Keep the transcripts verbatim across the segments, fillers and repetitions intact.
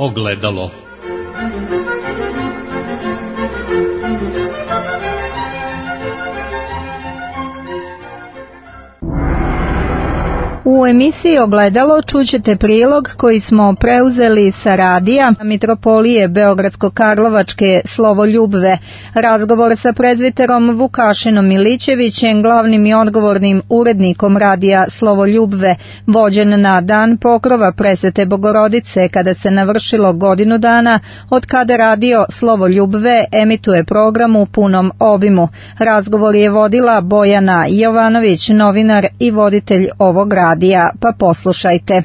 Ogledalo. U emisiji Ogledalo čućete prilog koji smo preuzeli sa radija Mitropolije Beogradsko-Karlovačke Slovoljubve. Razgovor sa prezbiterom Vukašinom Milićevićem, glavnim i odgovornim urednikom radija Slovoljubve, vođen na dan pokrova Presvete Bogorodice, kada se navršilo godinu dana od kada radio Slovoljubve emituje program u punom obimu. Razgovor je vodila Bojana Jovanović, novinar i voditelj ovog radija. Pa poslušajte.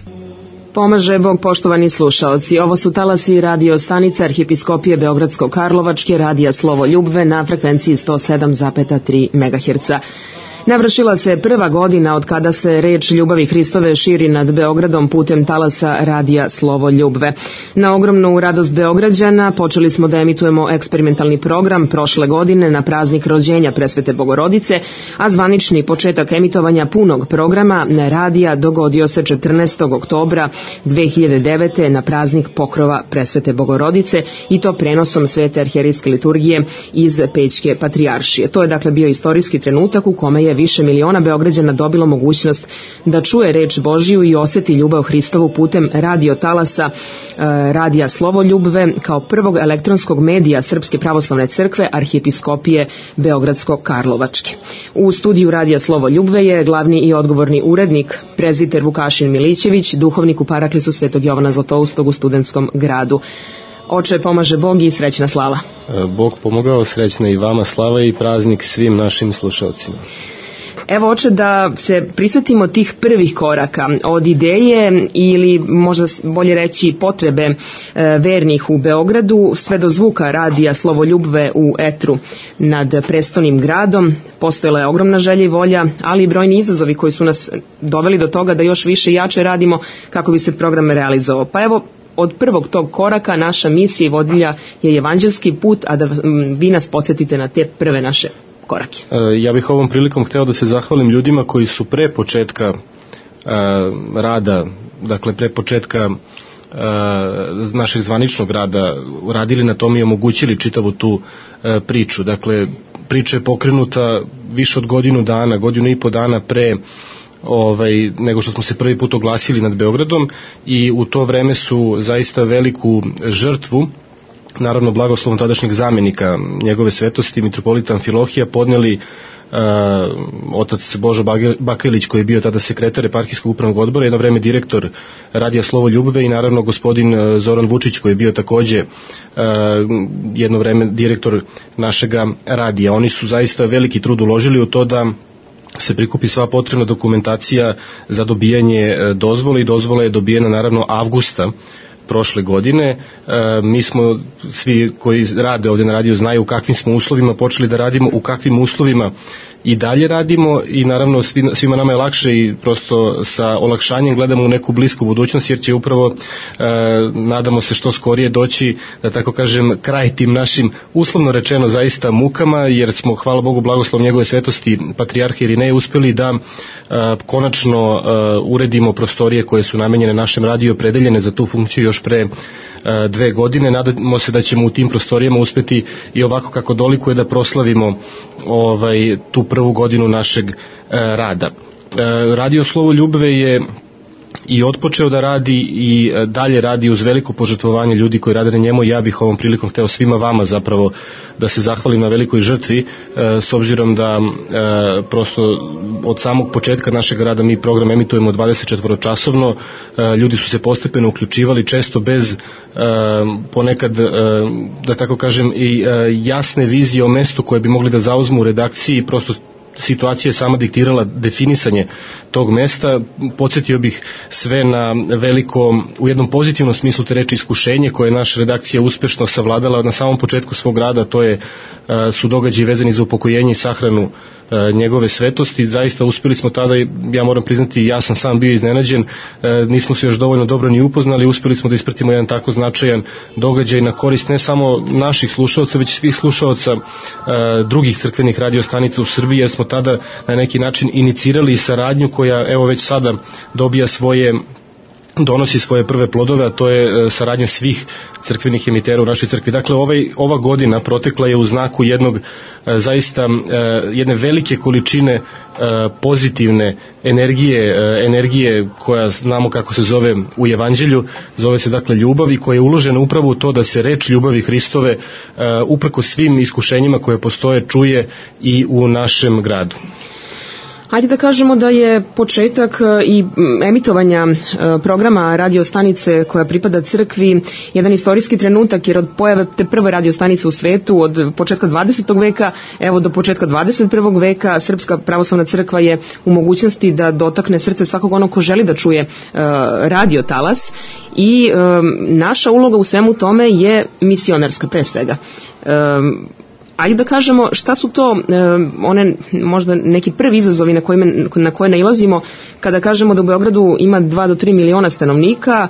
Pomaže Bog, poštovani slušaoci. Ovo su talasi radio stanice Arhijepiskopije Beogradsko-Karlovačke radija Slovoljubve na frekvenciji sto sedam zarez tri megaherca. Navršila se prva godina od kada se reč ljubavi Hristove širi nad Beogradom putem talasa radija Slovoljubve. Na ogromnu radost Beograđana počeli smo da emitujemo eksperimentalni program prošle godine na praznik rođenja Presvete Bogorodice, a zvanični početak emitovanja punog programa na radija dogodio se četrnaestog oktobra dve hiljade devete. na praznik pokrova Presvete Bogorodice, i to prenosom Svete arhijerejske liturgije iz Pećke patrijaršije. To je dakle bio istorijski trenutak u kome je više miliona Beograđana dobilo mogućnost da čuje reč Božiju i oseti ljubav Hristovu putem radio talasa radija Slovoljubve kao prvog elektronskog medija Srpske pravoslavne crkve Arhijepiskopije Beogradsko-Karlovačke. U studiju radija Slovoljubve je glavni i odgovorni urednik prezbiter Vukašin Milićević, duhovnik u Paraklisu Svetog Jovana Zlatoustog u Studentskom gradu. Oče, pomaže Bog i srećna slava. Bog pomogao, srećna i vama slava i praznik svim našim slušalcima. Evo, oče, da se prisjetimo tih prvih koraka od ideje ili možda bolje reći potrebe e, vernih u Beogradu sve do zvuka radija Slovoljubve u etru nad prestolnim gradom. Postojala je ogromna želja i volja, ali i brojni izazovi koji su nas doveli do toga da još više i jače radimo kako bi se program realizovao. Pa evo, od prvog tog koraka naša misija i vodilja je evanđelski put, a da vi nas podsjetite na te prve naše korake. Ja bih ovom prilikom hteo da se zahvalim ljudima koji su pre početka rada, dakle pre početka našeg zvaničnog rada radili na tom i omogućili čitavu tu priču. Dakle, priča je pokrenuta više od godinu dana, godinu i po dana pre Ovaj, nego što smo se prvi put oglasili nad Beogradom, i u to vreme su zaista veliku žrtvu, naravno blagoslovom tadašnjeg zamenika njegove svetosti mitropolita Amfilohija, podneli uh, otac Božo Bakajlić, koji je bio tada sekretar eparhijskog upravnog odbora, jedno vreme direktor radija Slovoljubve, i naravno gospodin Zoran Vučić, koji je bio takođe uh, jedno vreme direktor našega radija. Oni su zaista veliki trud uložili u to da se prikupi sva potrebna dokumentacija za dobijanje dozvole, i dozvola je dobijena naravno avgusta prošle godine. E, mi smo, svi koji rade ovde na radiju znaju u kakvim smo uslovima počeli da radimo, u kakvim uslovima i dalje radimo, i naravno svima nama je lakše i prosto sa olakšanjem gledamo u neku blisku budućnost, jer će upravo e, nadamo se što skorije doći, da tako kažem, kraj tim našim, uslovno rečeno, zaista mukama, jer smo, hvala Bogu, blagoslov njegove svetosti patrijarha Irineja, uspeli da e, konačno e, uredimo prostorije koje su namenjene našem radiju, opredeljene za tu funkciju još pre dve godine. Nadamo se da ćemo u tim prostorijama uspeti i ovako kako dolikuje da proslavimo ovaj, tu prvu godinu našeg e, rada. E, Radio Slovoljubve je i otpočeo da radi i dalje radi uz veliko požrtvovanje ljudi koji rade na njemu. Ja bih ovom prilikom hteo svima vama zapravo da se zahvalim na velikoj žrtvi, e, s obzirom da e, prosto od samog početka našeg rada mi program emitujemo dvadeset četiri časovno, e, ljudi su se postepeno uključivali, često bez e, ponekad, e, da tako kažem, i e, jasne vizije o mestu koje bi mogli da zauzmu u redakciji, prosto situacija je sama diktirala definisanje tog mesta. Podsjetio bih sve na veliko, u jednom pozitivnom smislu te reči, iskušenje koje je naša redakcija uspešno savladala na samom početku svog rada. To je, su događaji vezani za upokojenje i sahranu njegove svetosti. Zaista uspeli smo tada, ja moram priznati, ja sam sam bio iznenađen, nismo se još dovoljno dobro ni upoznali, uspeli smo da ispratimo jedan tako značajan događaj na korist ne samo naših slušaoca, već svih slušaoca drugih crkvenih radiostanica u Srbiji, jer smo tada na neki način inicirali saradnju koja evo već sada dobija svoje donosi svoje prve plodove, a to je saradnja svih crkvenih emitera u našoj crkvi. Dakle, ovaj, ova godina protekla je u znaku jednog zaista jedne velike količine pozitivne energije, energije koja znamo kako se zove u Evanđelju, zove se dakle ljubav i koja je uložena upravo u to da se reč ljubavi Hristove uprko svim iskušenjima koje postoje čuje i u našem gradu. Ajde da kažemo da je početak i emitovanja programa radiostanice koja pripada crkvi jedan istorijski trenutak, jer od pojave te prve radiostanice u svetu od početka dvadesetog veka evo do početka dvadeset prvog veka Srpska pravoslavna crkva je u mogućnosti da dotakne srce svakog onog ko želi da čuje radio talas i naša uloga u svemu tome je misionarska pre svega. Ali da kažemo šta su to one možda neki prvi izazovi na koje, na koje nailazimo kada kažemo da u Beogradu ima dva do tri miliona stanovnika,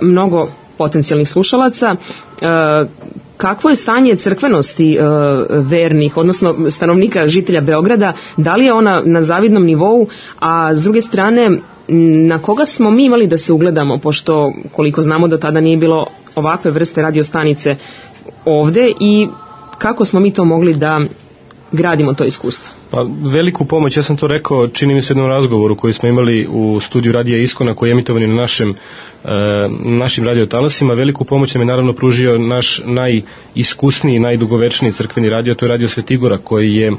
mnogo potencijalnih slušalaca. Kakvo je stanje crkvenosti vernih, odnosno stanovnika, žitelja Beograda, da li je ona na zavidnom nivou, a s druge strane na koga smo mi imali da se ugledamo, pošto koliko znamo do tada nije bilo ovakve vrste radiostanice ovde i kako smo mi to mogli da gradimo to iskustvo? Pa veliku pomoć, ja sam to rekao, čini mi se u jednom razgovoru koji smo imali u studiju Radija Iskona koji je emitovan na našem, e, našim radiotalasima. Veliku pomoć nam je naravno pružio naš najiskusniji, najdugovečniji crkveni radio, to je Radio Svetigora, koji je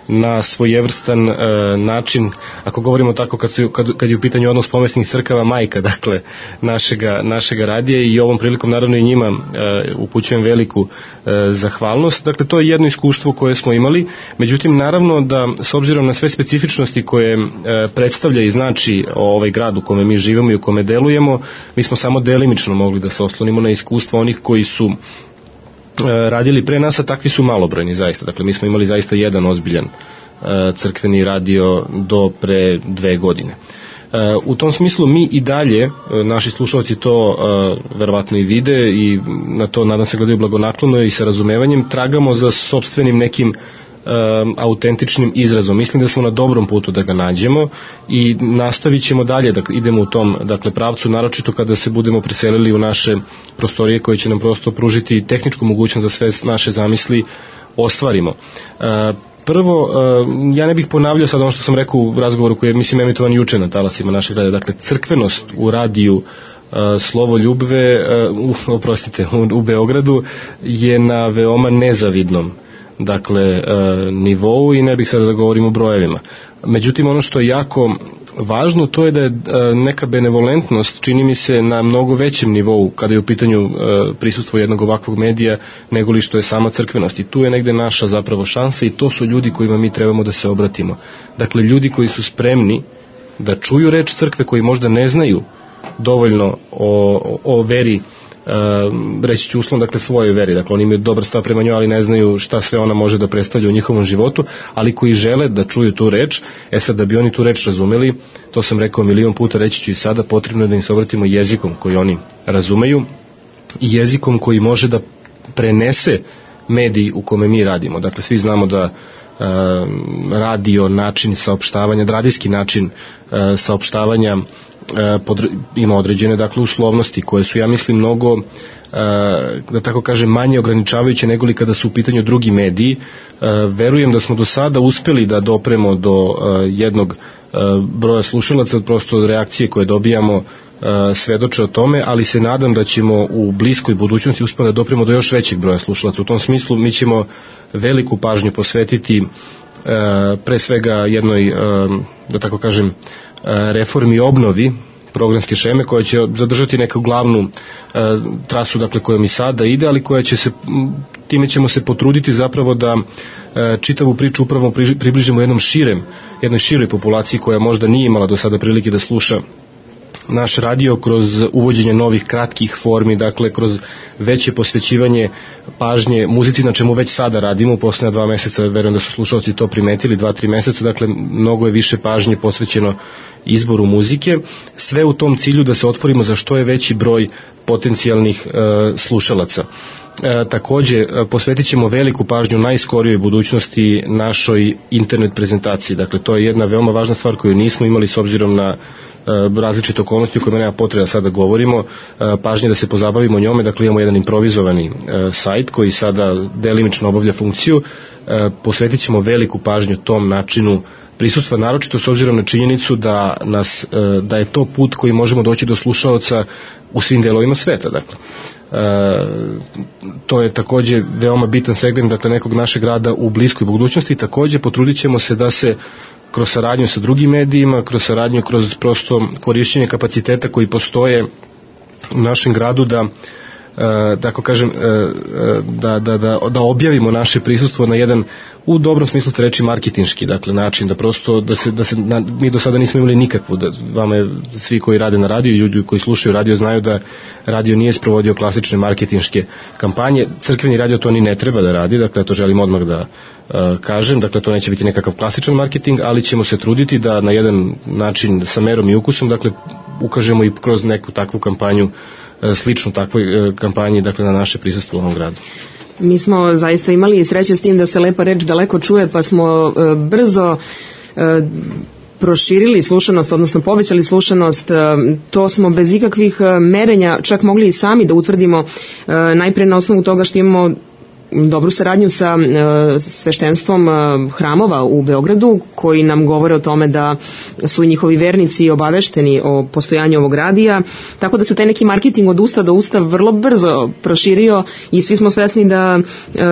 na svojevrstan e, način, ako govorimo tako kad, su, kad, kad je u pitanju odnos pomesnih crkava, majka dakle našega, našega radija i ovom prilikom naravno i njima e, upućujem veliku e, zahvalnost. Dakle, to je jedno iskustvo koje smo imali, međutim naravno da s obzirom na sve specifičnosti koje e, predstavlja i znači ovaj grad u kome mi živimo i u kome delujemo, mi smo samo delimično mogli da se oslonimo na iskustva onih koji su radili pre nas, a takvi su malobrojni zaista. Dakle, mi smo imali zaista jedan ozbiljan crkveni radio do pre dve godine. U tom smislu mi i dalje, naši slušalci to verovatno i vide i na to nadam se gledaju blagonaklono i sa razumevanjem, tragamo za sopstvenim nekim autentičnim izrazom. Mislim da smo na dobrom putu da ga nađemo i nastavit ćemo dalje da idemo u tom dakle, pravcu, naročito kada se budemo preselili u naše prostorije koje će nam prosto pružiti tehničku mogućnost da sve naše zamisli ostvarimo. Prvo, ja ne bih ponavljao sad ono što sam rekao u razgovoru koji je mislim emitovan juče na talasima našeg rada, dakle crkvenost u radiju Slovo Ljubve, oprostite, u Beogradu je na veoma nezavidnom dakle nivou i ne bih sada da govorim o brojevima. Međutim, ono što je jako važno, to je da je neka benevolentnost, čini mi se, na mnogo većem nivou kada je u pitanju prisustvo jednog ovakvog medija nego li što je sama crkvenost. I tu je negde naša zapravo šansa i to su ljudi kojima mi trebamo da se obratimo. Dakle, ljudi koji su spremni da čuju reč crkve, koji možda ne znaju dovoljno o, o veri, Uh, reći ću uslovno, dakle svojoj veri, dakle oni imaju dobar stav prema njoj, ali ne znaju šta sve ona može da predstavlja u njihovom životu, ali koji žele da čuju tu reč. E sad, da bi oni tu reč razumeli, to sam rekao milion puta, reći ću i sada, potrebno je da im se obratimo jezikom koji oni razumeju i jezikom koji može da prenese medij u kome mi radimo. Dakle, svi znamo da uh, radio način saopštavanja, radijski način uh, saopštavanja Pod, ima određene dakle uslovnosti koje su, ja mislim, mnogo da tako kažem manje ograničavajuće nego li kada su u pitanju drugi mediji. Verujem da smo do sada uspeli da dopremo do jednog broja slušalaca, prosto reakcije koje dobijamo svedoče o tome, ali se nadam da ćemo u bliskoj budućnosti uspeti da dopremo do još većeg broja slušalaca. U tom smislu mi ćemo veliku pažnju posvetiti pre svega jednoj, da tako kažem, reformi i obnovi programske šeme koja će zadržati neku glavnu e, trasu dakle kojom i sada ide, ali koja će se, time ćemo se potruditi zapravo da e, čitavu priču upravo približimo jednom širem, jednoj široj populaciji koja možda nije imala do sada prilike da sluša naš radio kroz uvođenje novih kratkih formi, dakle kroz veće posvećivanje pažnje muzici, na čemu već sada radimo u poslednja dva meseca, verujem da su slušalci to primetili, dva, tri meseca, dakle mnogo je više pažnje posvećeno izboru muzike, sve u tom cilju da se otvorimo za što je veći broj potencijalnih e, slušalaca. E, takođe, posvetit ćemo veliku pažnju najskorijoj budućnosti našoj internet prezentaciji, dakle to je jedna veoma važna stvar koju nismo imali s obzirom na različite okolnosti u kojima nema potreba da sada govorimo, pažnje da se pozabavimo njome. Dakle, imamo jedan improvizovani sajt koji sada delimično obavlja funkciju. Posvetit ćemo veliku pažnju tom načinu prisustva, naročito s obzirom na činjenicu da, nas, da je to put koji možemo doći do slušaoca u svim delovima sveta. Dakle, to je takođe veoma bitan segment, dakle, nekog našeg rada u bliskoj budućnosti. Takođe potrudit ćemo se da se kroz saradnju sa drugim medijima, kroz saradnju, kroz prosto korišćenje kapaciteta koji postoje u našem gradu, da Uh, tako kažem, uh, da, da, da, da objavimo naše prisustvo na jedan, u dobrom smislu te reči, marketinški, dakle, način, da prosto, da se, da se na, mi do sada nismo imali nikakvu, da vama je, svi koji rade na radiju i ljudi koji slušaju radio znaju da radio nije sprovodio klasične marketinške kampanje. Crkveni radio to ni ne treba da radi, dakle, to želim odmah da uh, kažem, dakle, to neće biti nekakav klasičan marketing, ali ćemo se truditi da na jedan način sa merom i ukusom, dakle, ukažemo i kroz neku takvu kampanju, sličnu takvoj kampanji, dakle, na naše prisustvo u ovom gradu. Mi smo zaista imali sreće s tim da se lepa reč daleko čuje, pa smo brzo proširili slušanost, odnosno povećali slušanost. To smo bez ikakvih merenja čak mogli i sami da utvrdimo, najpre na osnovu toga što imamo dobru saradnju sa e, sveštenstvom e, hramova u Beogradu, koji nam govore o tome da su njihovi vernici obavešteni o postojanju ovog radija, tako da se taj neki marketing od usta do usta vrlo brzo proširio i svi smo svesni da e,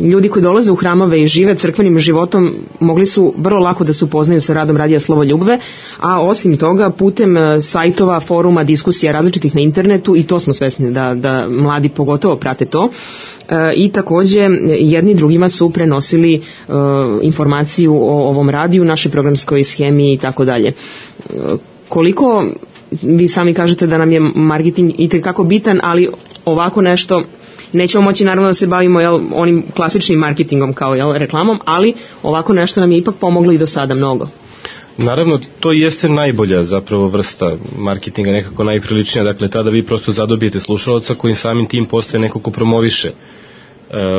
ljudi koji dolaze u hramove i žive crkvenim životom mogli su vrlo lako da se upoznaju sa radom Radija Slovo Ljubve, a osim toga putem sajtova, foruma, diskusija različitih na internetu, i to smo svesni da, da mladi pogotovo prate to, i takođe jedni drugima su prenosili uh, informaciju o ovom radiju, našoj programskoj schemi i tako dalje. Koliko vi sami kažete da nam je marketing itekako bitan, ali ovako nešto nećemo moći naravno da se bavimo, jel, onim klasičnim marketingom kao, jel, reklamom, ali ovako nešto nam je ipak pomoglo i do sada mnogo. Naravno, to jeste najbolja zapravo vrsta marketinga, nekako najpriličnija, dakle, tada vi prosto zadobijete slušalaca koji samim tim postaje neko ko promoviše e,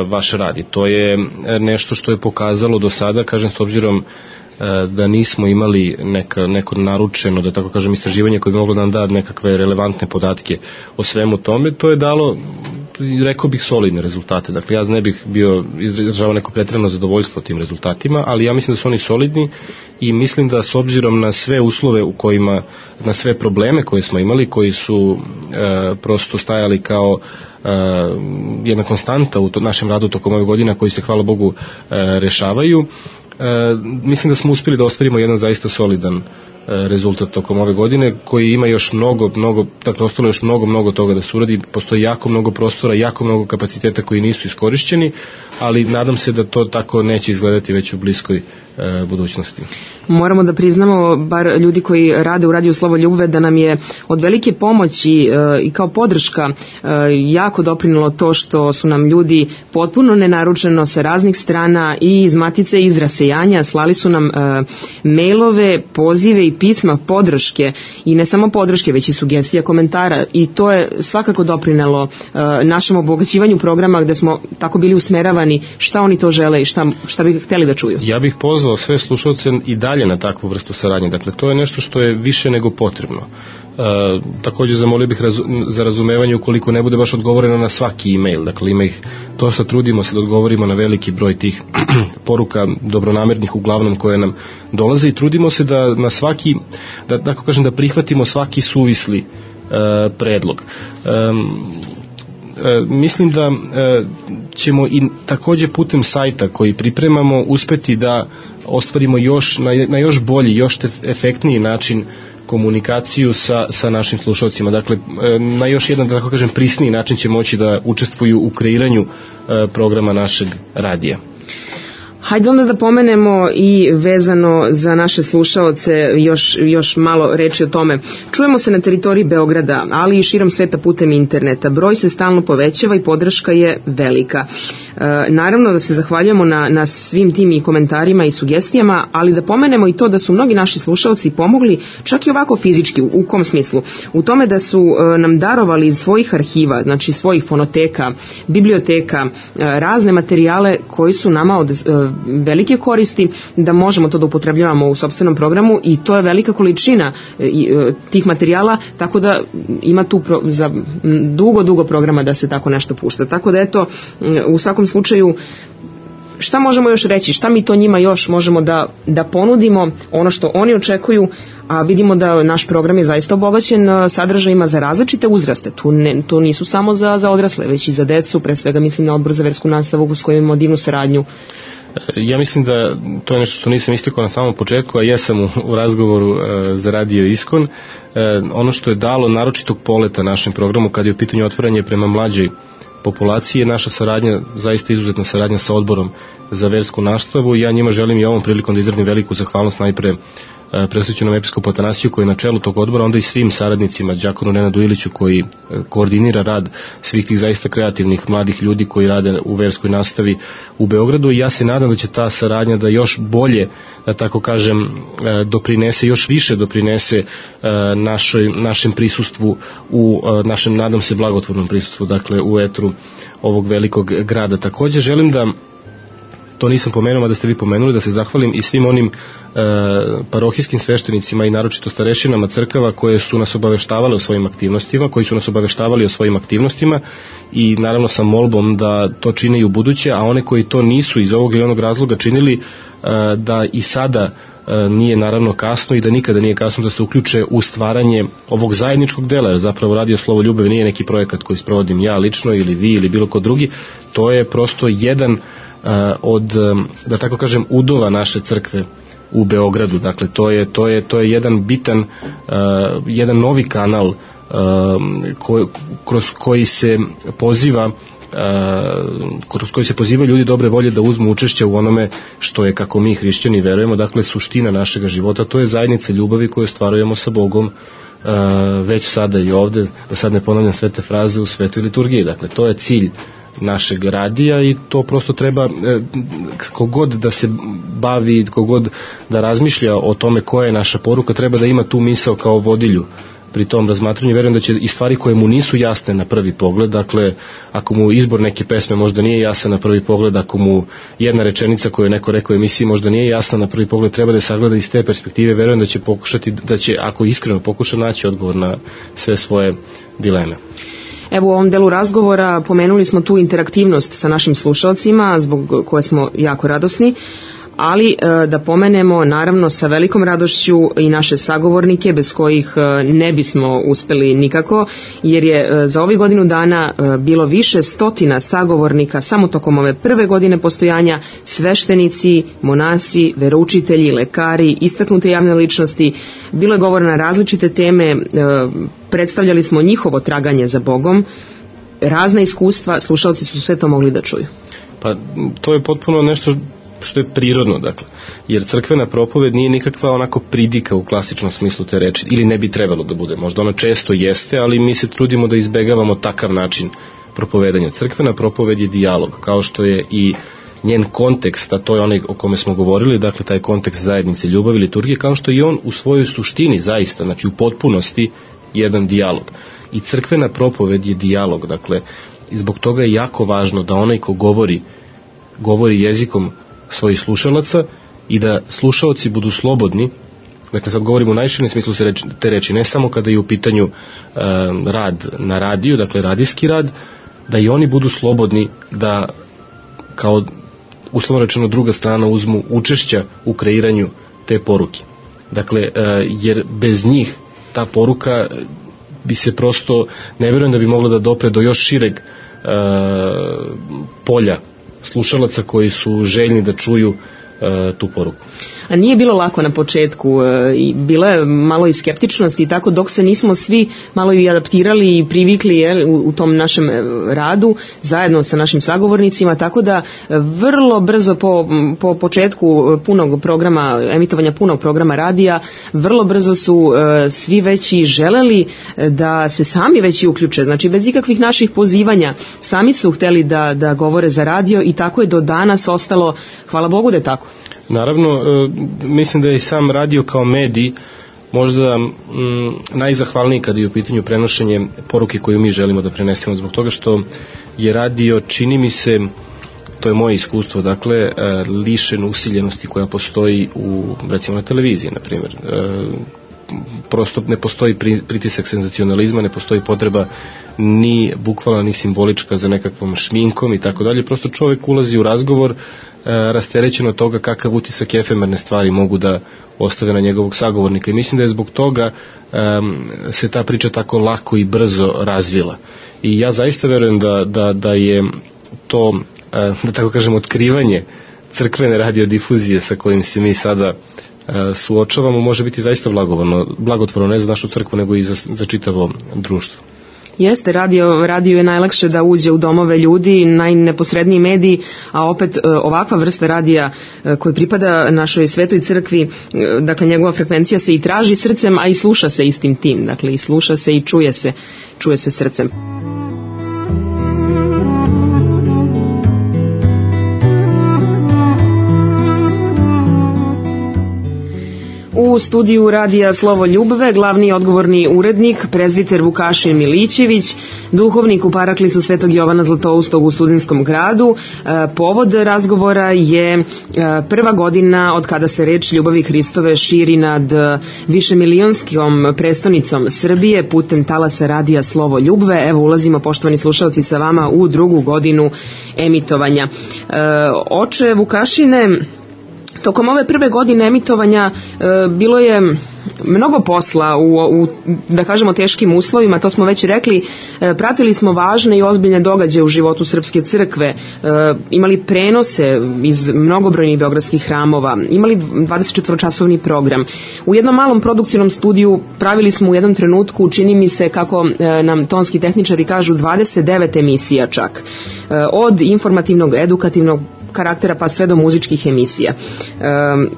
vaš rad. I to je nešto što je pokazalo do sada, kažem, s obzirom e, da nismo imali neka, neko naručeno, da tako kažem, istraživanje koje bi moglo da nam da nekakve relevantne podatke o svemu tome, to je dalo, rekao bih, solidne rezultate. Dakle, ja ne bih bio izražavao neko pretjerano zadovoljstvo tim rezultatima, ali ja mislim da su oni solidni i mislim da s obzirom na sve uslove u kojima, na sve probleme koje smo imali, koji su e, prosto stajali kao e, jedna konstanta u to, našem radu tokom ove godina, koji se, hvala Bogu, e, rešavaju, e, mislim da smo uspjeli da ostvarimo jedan zaista solidan rezultat tokom ove godine, koji ima još mnogo, mnogo, dakle, ostalo još mnogo, mnogo toga da se uradi, postoji jako mnogo prostora, jako mnogo kapaciteta koji nisu iskorišćeni, ali nadam se da to tako neće izgledati već u bliskoj e, budućnosti. Moramo da priznamo, bar ljudi koji rade u Radiju Slovo Ljubve, da nam je od velike pomoći e, i kao podrška e, jako doprinilo to što su nam ljudi potpuno nenaručeno sa raznih strana i iz Matice i iz rasejanja slali su nam e, mailove, pozive i pisma podrške, i ne samo podrške, već i sugestija, komentara, i to je svakako doprinelo e, našem obogaćivanju programa, gde smo tako bili usmeravani šta oni to žele i šta, šta bi hteli da čuju. Ja bih pozvao sve slušalce i dalje na takvu vrstu saradnje. Dakle, to je nešto što je više nego potrebno. E, također zamolio bih razu, za razumevanje ukoliko ne bude baš odgovoreno na svaki e-mail. Dakle, ima ih, to sad trudimo se da odgovorimo na veliki broj tih poruka dobronamernih uglavnom koje nam dolaze, i trudimo se da na svaki, da tako kažem, da prihvatimo svaki suvisli e, predlog. E, e, mislim da e, ćemo i također putem sajta koji pripremamo uspeti da ostvarimo još na, na još bolji, još efektniji način komunikaciju sa, sa našim slušalcima. Dakle, na još jedan, da tako kažem, prisniji način će moći da učestvuju u kreiranju programa našeg radija. Hajde onda da pomenemo i vezano za naše slušaoce još, još malo reči o tome. Čujemo se na teritoriji Beograda, ali i širom sveta putem interneta. Broj se stalno povećava i podrška je velika. Naravno da se zahvaljujemo na, na svim tim i komentarima i sugestijama, ali da pomenemo i to da su mnogi naši slušalci pomogli čak i ovako fizički. U, u kom smislu? U tome da su nam darovali iz svojih arhiva, znači svojih fonoteka, biblioteka, razne materijale koji su nama od velike koristi da možemo to da upotrebljavamo u sopstvenom programu, i to je velika količina tih materijala, tako da ima tu pro, za dugo, dugo programa da se tako nešto pušta. Tako da eto, u svakom slučaju, šta možemo još reći, šta mi to njima još možemo da, da ponudimo, ono što oni očekuju, a vidimo da naš program je zaista obogaćen sadržajima za različite uzraste. Tu, ne, tu nisu samo za, za odrasle, već i za decu, pre svega mislim na Odbor za versku nastavu s kojim imamo divnu saradnju. Ja mislim da to je nešto što nisam istakao na samom početku, a jesam u, u razgovoru e, za Radio Iskon. E, ono što je dalo naročitog poleta našem programu kad je u pitanju otvaranje prema mlađoj populaciji je naša saradnja, zaista izuzetna saradnja sa Odborom za versku nastavu. Ja njima želim i ovom prilikom da izrazim veliku zahvalnost najpre presvećenom episkopu Atanasiju koji je na čelu tog odbora, onda i svim saradnicima, đakonu Nenadu Iliću koji koordinira rad svih tih zaista kreativnih mladih ljudi koji rade u verskoj nastavi u Beogradu, i ja se nadam da će ta saradnja da još bolje, da tako kažem, doprinese, još više doprinese našoj, našem prisustvu u našem, nadam se, blagotvornom prisustvu, dakle u etru ovog velikog grada. Takođe želim da, to nisam pomenuo, a da ste vi pomenuli, da se zahvalim i svim onim e, parohijskim sveštenicima i naročito starešinama crkava koje su nas obaveštavale o svojim aktivnostima, koji su nas obaveštavali o svojim aktivnostima, i naravno sa molbom da to čine i u buduće, a one koji to nisu iz ovog ili onog razloga činili, e, da i sada e, nije naravno kasno i da nikada nije kasno da se uključe u stvaranje ovog zajedničkog dela, jer zapravo Radio Slovo Ljubve nije neki projekat koji sprovodim ja lično ili vi ili bilo ko drugi, to je prosto jedan od, da tako kažem, udova naše crkve u Beogradu. Dakle, to je, to je, to je jedan bitan, uh, jedan novi kanal uh, ko, kroz koji se poziva uh, kroz koji se poziva ljudi dobre volje da uzmu učešće u onome što je, kako mi hrišćani verujemo, dakle suština našega života. To je zajednica ljubavi koju ostvarujemo sa Bogom uh, već sada i ovde, da sad ne ponavljam sve te fraze, u svetoj liturgiji. Dakle, to je cilj našeg radija i to prosto treba, kogod da se bavi, kogod da razmišlja o tome koja je naša poruka, treba da ima tu misao kao vodilju pri tom razmatranju. Verujem da će i stvari koje mu nisu jasne na prvi pogled, dakle ako mu izbor neke pesme možda nije jasan na prvi pogled, ako mu jedna rečenica koju je neko rekao u emisiji možda nije jasna na prvi pogled, treba da je sagleda iz te perspektive. Verujem da će pokušati, da će, ako iskreno pokuša, naći odgovor na sve svoje dileme. Evo, u ovom delu razgovora pomenuli smo tu interaktivnost sa našim slušalcima, zbog koje smo jako radosni, ali da pomenemo naravno sa velikom radošću i naše sagovornike bez kojih ne bismo uspeli nikako, jer je za ovih godinu dana bilo više stotina sagovornika samo tokom ove prve godine postojanja, sveštenici, monasi, veroučitelji, lekari, istaknute javne ličnosti. Bilo je govora na različite teme, predstavljali smo njihovo traganje za Bogom, razna iskustva, slušalci su sve to mogli da čuju. Pa to je potpuno nešto što je prirodno, dakle, jer crkvena propoved nije nikakva onako pridika u klasičnom smislu te reči, ili ne bi trebalo da bude, možda ona često jeste, ali mi se trudimo da izbegavamo takav način propovedanja. Crkvena propoved je dijalog, kao što je i njen kontekst, a to je onaj o kome smo govorili, dakle taj kontekst zajednice ljubavi, liturgije, kao što je on u svojoj suštini zaista, znači u potpunosti jedan dijalog. I crkvena propoved je dijalog, dakle, i zbog toga je jako važno da onaj ko govori, govori jezikom svojih slušalaca i da slušaoci budu slobodni, dakle sad govorimo u najširem smislu te reči, ne samo kada je u pitanju e, rad na radiju, dakle radijski rad, da i oni budu slobodni da kao uslovno rečeno druga strana uzmu učešća u kreiranju te poruke. Dakle, e, jer bez njih ta poruka bi se prosto, ne vjerujem da bi mogla da dopre do još šireg e, polja slušalaca koji su željni da čuju e, tu poruku. a nije bilo lako na početku, i bilo je malo i skeptičnosti i tako, dok se nismo svi malo i adaptirali i privikli je, u, u tom našem radu zajedno sa našim sagovornicima, tako da vrlo brzo po, po početku punog programa, emitovanja punog programa radija, vrlo brzo su e, svi veći želeli da se sami veći uključe, znači bez ikakvih naših pozivanja, sami su hteli da, da govore za radio i tako je do danas ostalo, hvala Bogu da je tako. Naravno, e, mislim da je i sam radio kao medij možda m, najzahvalniji kada je u pitanju prenošenje poruke koju mi želimo da prenesemo, zbog toga što je radio, čini mi se, to je moje iskustvo, dakle, e, lišen usiljenosti koja postoji u, recimo, na televiziji, na primjer. E, prosto ne postoji pritisak senzacionalizma, ne postoji potreba ni bukvalna ni simbolička za nekakvom šminkom i tako dalje, prosto čovjek ulazi u razgovor e, rasterećen od toga kakav utisak efemerne stvari mogu da ostave na njegovog sagovornika i mislim da je zbog toga e, se ta priča tako lako i brzo razvila i ja zaista verujem da, da, da je to, e, da tako kažem, otkrivanje crkvene radiodifuzije sa kojim se mi sada suočavamo, može biti zaista blagotvorno, ne za našu crkvu, nego i za, za čitavo društvo. Jeste, radio, radio je najlakše da uđe u domove ljudi, najneposredniji mediji, a opet ovakva vrsta radija koji pripada našoj svetoj crkvi, dakle njegova frekvencija se i traži srcem, a i sluša se istim tim, dakle i sluša se i čuje se, čuje se srcem. U studiju radija Slovo Ljubve glavni odgovorni urednik, prezviter Vukašin Milićević, duhovnik u Paraklisu Svetog Jovana Zlatoustog u Studentskom gradu. Povod razgovora je prva godina od kada se reč ljubavi Hristove širi nad višemilionskom prestonicom Srbije putem talasa radija Slovo Ljubve. Evo ulazimo, poštovani slušalci, sa vama u drugu godinu emitovanja. Oče Vukašine, tokom ove prve godine emitovanja e, bilo je mnogo posla u, u, da kažemo, teškim uslovima, to smo već rekli, e, pratili smo važne i ozbiljne događaje u životu Srpske crkve, e, imali prenose iz mnogobrojnih beogradskih hramova, imali dvadesetčetvoročasovni program. U jednom malom produkcijnom studiju pravili smo u jednom trenutku, čini mi se, kako e, nam tonski tehničari kažu, dvadeset devet emisija čak, e, od informativnog, edukativnog karaktera pa sve do muzičkih emisija. Um,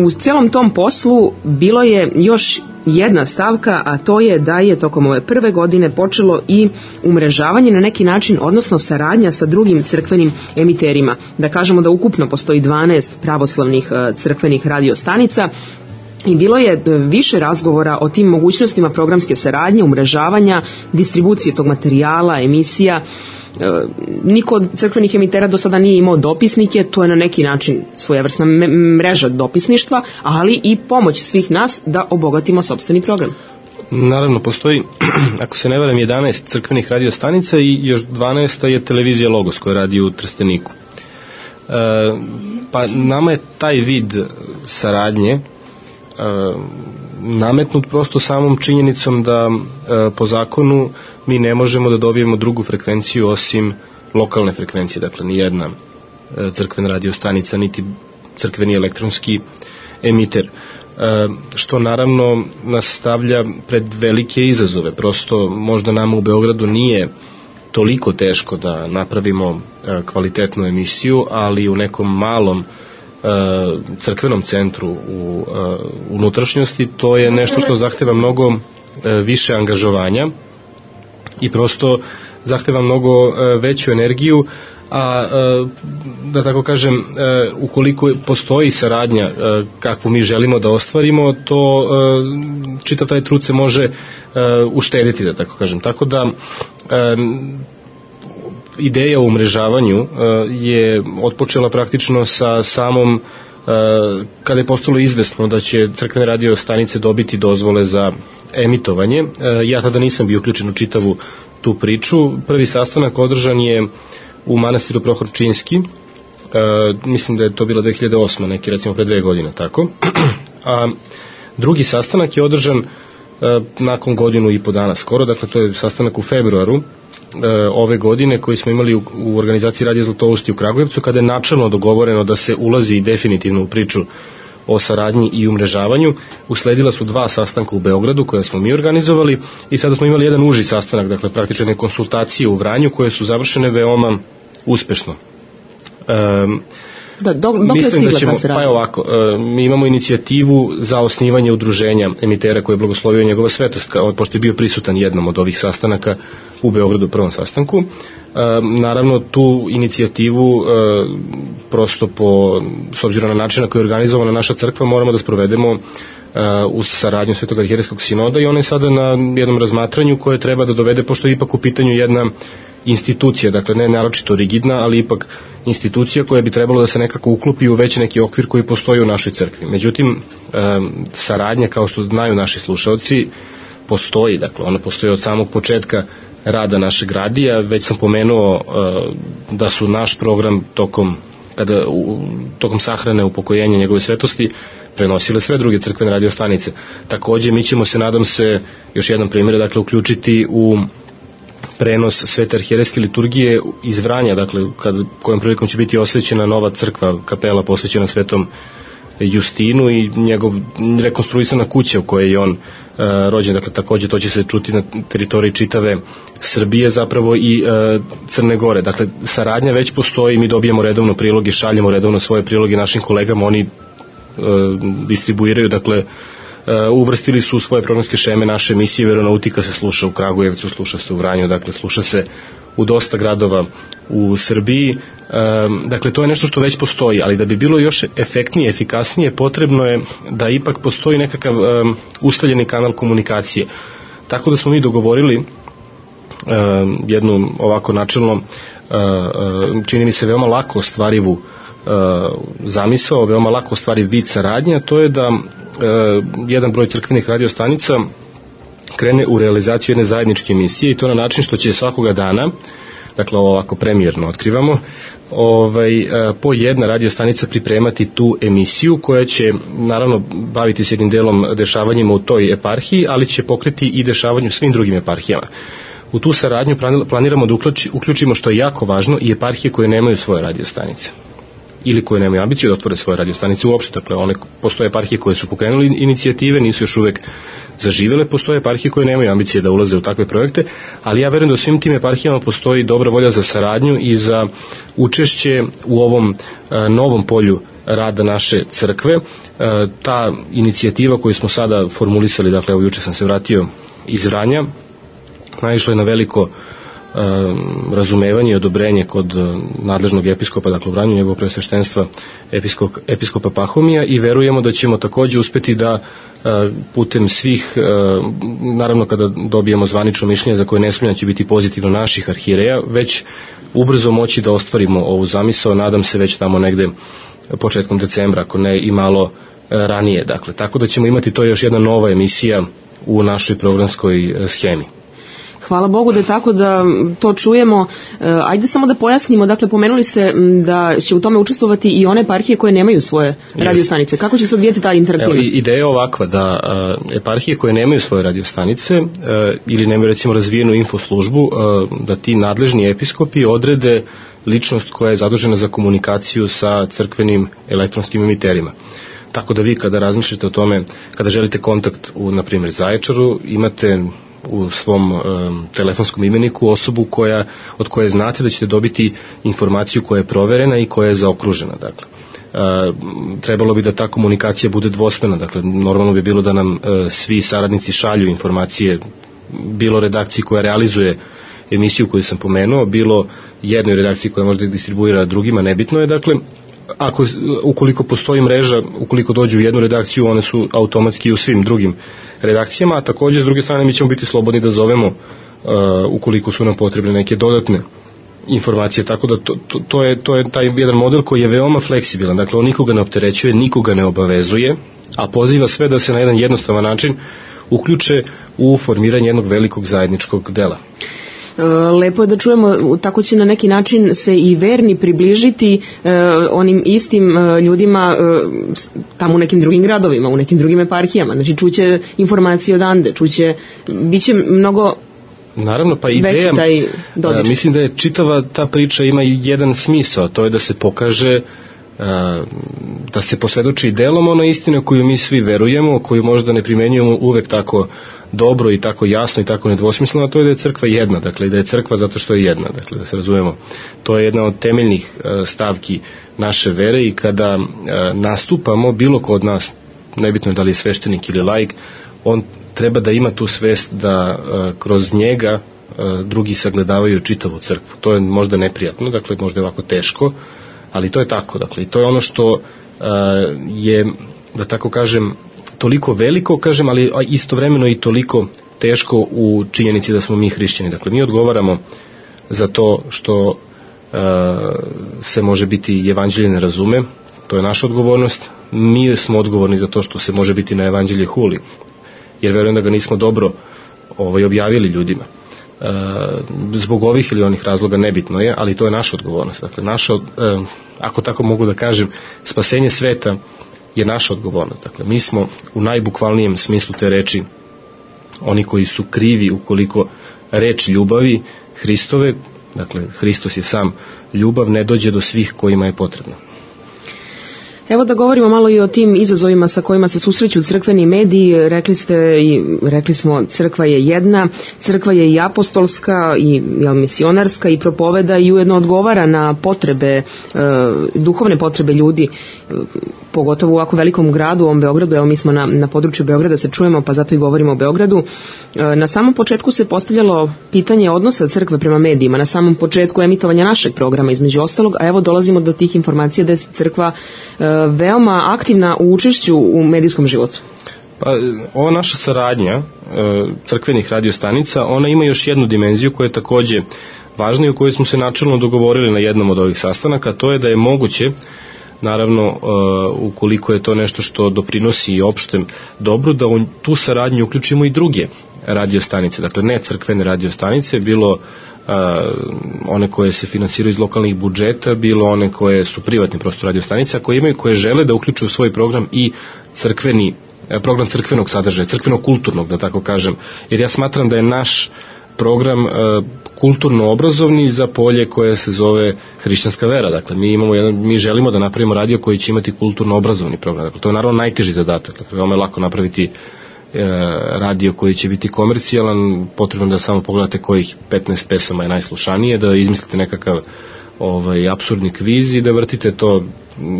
u celom tom poslu bilo je još jedna stavka, a to je da je tokom ove prve godine počelo i umrežavanje na neki način, odnosno saradnja sa drugim crkvenim emiterima. Da kažemo da ukupno postoji dvanaest pravoslavnih uh, crkvenih radiostanica i bilo je više razgovora o tim mogućnostima programske saradnje, umrežavanja, distribucije tog materijala, emisija. Niko od crkvenih emitera do sada nije imao dopisnike, to je na neki način svojevrsna mreža dopisništva, ali i pomoć svih nas da obogatimo sopstveni program. Naravno, postoji, ako se ne varam, jedanaest crkvenih radiostanica i još dvanaesta je televizija Logos koja radi u Trsteniku. E, pa nama je taj vid saradnje e, nametnut prosto samom činjenicom da e, po zakonu mi ne možemo da dobijemo drugu frekvenciju osim lokalne frekvencije, dakle ni jedna e, crkvena radiostanica niti crkveni elektronski emiter, e, što naravno nas stavlja pred velike izazove. Prosto možda nama u Beogradu nije toliko teško da napravimo e, kvalitetnu emisiju, ali u nekom malom crkvenom centru u unutrašnjosti to je nešto što zahteva mnogo više angažovanja i prosto zahteva mnogo veću energiju, a da tako kažem, ukoliko postoji saradnja kakvu mi želimo da ostvarimo, to čitav taj trud se može uštediti, da tako kažem. Tako da ideja o umrežavanju je otpočela praktično sa samom, kada je postalo izvesno da će crkvene radio stanice dobiti dozvole za emitovanje. Ja tada nisam bio uključen u čitavu tu priču. Prvi sastanak održan je u manastiru Prohorčinski, mislim da je to bilo dve hiljade osme, neki recimo pre dve godine, tako. A drugi sastanak je održan nakon godinu i po dana skoro, dakle to je sastanak u februaru ove godine koji smo imali u, u organizaciji Radija Zlatousti u Kragujevcu, kada je načelno dogovoreno da se ulazi definitivno u priču o saradnji i umrežavanju. Usledila su dva sastanka u Beogradu koje smo mi organizovali i sada smo imali jedan uži sastanak, dakle praktično jedne konsultacije u Vranju koje su završene veoma uspešno. Um, Da, dok, dok Mislim da ćemo, pa je ovako, e, mi imamo inicijativu za osnivanje udruženja emitera koje je blagoslovio njegova svetost, pošto je bio prisutan jednom od ovih sastanaka u Beogradu, prvom sastanku. E, naravno, tu inicijativu e, prosto po, s obzirom na način na koji je organizovana naša crkva, moramo da sprovedemo Uh, uz saradnju Svetog arhijerejskog sinoda i ona je sada na jednom razmatranju koje treba da dovede, pošto je ipak u pitanju jedna institucija, dakle ne naročito rigidna, ali ipak institucija koja bi trebalo da se nekako uklopi u već neki okvir koji postoji u našoj crkvi. Međutim, um, saradnja, kao što znaju naši slušalci, postoji, dakle ona postoji od samog početka rada našeg radija. Već sam pomenuo uh, da su naš program tokom kada u, tokom sahrane upokojenja njegove svetosti prenosile sve druge crkvene radio stanice. Takođe mi ćemo se, nadam se, još jedan primjer, dakle uključiti u prenos Svete arhijerejske liturgije iz Vranja, dakle kad, kojom prilikom će biti osvećena nova crkva, kapela posvećena Svetom Justinu i njegov rekonstruisana kuća u kojoj je on uh, rođen, dakle takođe to će se čuti na teritoriji čitave Srbije, zapravo i uh, Crne Gore. Dakle, saradnja već postoji, mi dobijamo redovno priloge, šaljemo redovno svoje priloge našim kolegama, oni uh, distribuiraju, dakle uh, uvrstili su u svoje programske šeme naše emisije. Veronautika se sluša u Kragujevcu, sluša se u Vranju, dakle sluša se u dosta gradova u Srbiji. Um, dakle, to je nešto što već postoji, ali da bi bilo još efektnije, efikasnije, potrebno je da ipak postoji nekakav um, ustaljeni kanal komunikacije. Tako da smo mi dogovorili um, jednu ovako načelno, uh, uh, čini mi se veoma lako ostvarivu uh, zamisao, veoma lako ostvariv vid saradnje, a to je da uh, jedan broj crkvenih radiostanica krene u realizaciju jedne zajedničke emisije, i to na način što će svakoga dana, dakle ovako premijerno otkrivamo, ovaj, po jedna radiostanica pripremati tu emisiju koja će naravno baviti se jednim delom dešavanjima u toj eparhiji, ali će pokriti i dešavanju u svim drugim eparhijama. U tu saradnju planiramo da uključimo, što je jako važno, i eparhije koje nemaju svoje radiostanice ili koje nemaju ambiciju da otvore svoje radiostanice uopšte. Dakle, one, postoje eparhije koje su pokrenuli inicijative, nisu još uvek zaživele, postoje eparhije koje nemaju ambicije da ulaze u takve projekte, ali ja verujem da u svim tim eparhijama postoji dobra volja za saradnju i za učešće u ovom a, novom polju rada naše crkve. A, ta inicijativa koju smo sada formulisali, dakle, evo juče sam se vratio iz Vranja, naišla je na veliko razumevanje i odobrenje kod nadležnog episkopa, dakle u Vranju, njegovog preosveštenstva episkop, episkopa Pahomija, i verujemo da ćemo takođe uspeti da putem svih, naravno kada dobijemo zvanično mišljenje za koje ne sumnjam će biti pozitivno naših arhijereja, već ubrzo moći da ostvarimo ovu zamisao, nadam se već tamo negde početkom decembra, ako ne i malo ranije. Dakle, tako da ćemo imati to još jedna nova emisija u našoj programskoj schemi. Hvala Bogu da je tako, da to čujemo. Ajde samo da pojasnimo, dakle pomenuli ste da će u tome učestvovati i one eparhije koje nemaju svoje radiostanice. Kako će se odvijeti ta interaktivnost? Evo, ideja je ovakva, da uh, eparhije koje nemaju svoje radiostanice uh, ili nemaju recimo razvijenu infoslužbu, uh, da ti nadležni episkopi odrede ličnost koja je zadužena za komunikaciju sa crkvenim elektronskim emiterima. Tako da vi kada razmišljate o tome, kada želite kontakt u, na primjer, Zaječaru, imate u svom um, telefonskom imeniku osobu koja, od koje znate da ćete dobiti informaciju koja je proverena i koja je zaokružena. Dakle, uh, trebalo bi da ta komunikacija bude dvosmena, dakle normalno bi bilo da nam uh, svi saradnici šalju informacije, bilo redakciji koja realizuje emisiju koju sam pomenuo, bilo jednoj redakciji koja možda distribuira drugima, nebitno je. Dakle, ako, ukoliko postoji mreža, ukoliko dođu u jednu redakciju, one su automatski u svim drugim redakcijama, a takođe s druge strane mi ćemo biti slobodni da zovemo uh, ukoliko su nam potrebne neke dodatne informacije, tako da to, to, to, je, to je taj jedan model koji je veoma fleksibilan, dakle on nikoga ne opterećuje, nikoga ne obavezuje, a poziva sve da se na jedan jednostavan način uključe u formiranje jednog velikog zajedničkog dela. Lepo je da čujemo, tako će na neki način se i verni približiti e, onim istim e, ljudima e, tamo u nekim drugim gradovima, u nekim drugim eparhijama, znači čuće informacije odande, čuće, bit će mnogo naravno, pa ideja, mislim da je čitava ta priča ima jedan smisao, to je da se pokaže da se posvedoči delom ono istine koju mi svi verujemo, koju možda ne primenjujemo uvek tako dobro i tako jasno i tako nedvosmisleno, a to je da je crkva jedna, dakle da je crkva zato što je jedna, dakle da se razumemo. To je jedna od temeljnih stavki naše vere i kada nastupamo, bilo ko od nas, nebitno je da li je sveštenik ili laik, on treba da ima tu svest da kroz njega drugi sagledavaju čitavu crkvu. To je možda neprijatno, dakle možda je ovako teško, ali to je tako, dakle i to je ono što je, da tako kažem, toliko veliko, kažem, ali istovremeno i toliko teško u činjenici da smo mi hrišćani. Dakle, mi odgovaramo za to što uh, se može biti evanđelje ne razume, to je naša odgovornost. Mi smo odgovorni za to što se može biti na evanđelje huli, jer verujem da ga nismo dobro ovaj, objavili ljudima. Uh, zbog ovih ili onih razloga nebitno je, ali to je naša odgovornost. Dakle, naša, uh, ako tako mogu da kažem, spasenje sveta je naša odgovornost. Dakle, mi smo u najbukvalnijem smislu te reči oni koji su krivi ukoliko reč ljubavi Hristove, dakle Hristos je sam ljubav, ne dođe do svih kojima je potrebno. Evo da govorimo malo i o tim izazovima sa kojima se susreću crkveni mediji. Rekli ste i rekli smo, crkva je jedna, crkva je i apostolska i jel, misionarska i propoveda i ujedno odgovara na potrebe, e, duhovne potrebe ljudi, e, pogotovo u ovako velikom gradu, u ovom Beogradu. Evo mi smo na, na području Beograda, se čujemo, pa zato i govorimo o Beogradu. E, na samom početku se postavljalo pitanje odnosa crkve prema medijima, na samom početku emitovanja našeg programa između ostalog, a evo dolazimo do tih informacija da je crkva e, veoma aktivna u učešću u medijskom životu. Pa, ova naša saradnja crkvenih radiostanica, ona ima još jednu dimenziju koja je takođe važna i o kojoj smo se načelno dogovorili na jednom od ovih sastanaka, to je da je moguće, naravno ukoliko je to nešto što doprinosi opštem dobru, da u tu saradnju uključimo i druge radiostanice, dakle ne crkvene radiostanice, bilo Uh, one koje se finansiraju iz lokalnih budžeta, bilo one koje su privatne prosto radiostanice, koje imaju, koje žele da uključuju u svoj program i crkveni, program crkvenog sadržaja, crkvenog kulturnog, da tako kažem, jer ja smatram da je naš program uh, kulturno-obrazovni za polje koje se zove hrišćanska vera. Dakle, mi imamo jedan, mi želimo da napravimo radio koji će imati kulturno-obrazovni program. Dakle, to je naravno najteži zadatak. Dakle, veoma je lako napraviti radio koji će biti komercijalan, potrebno da samo pogledate kojih petnaest pesama je najslušanije, da izmislite nekakav ovaj, apsurdni kviz i da vrtite to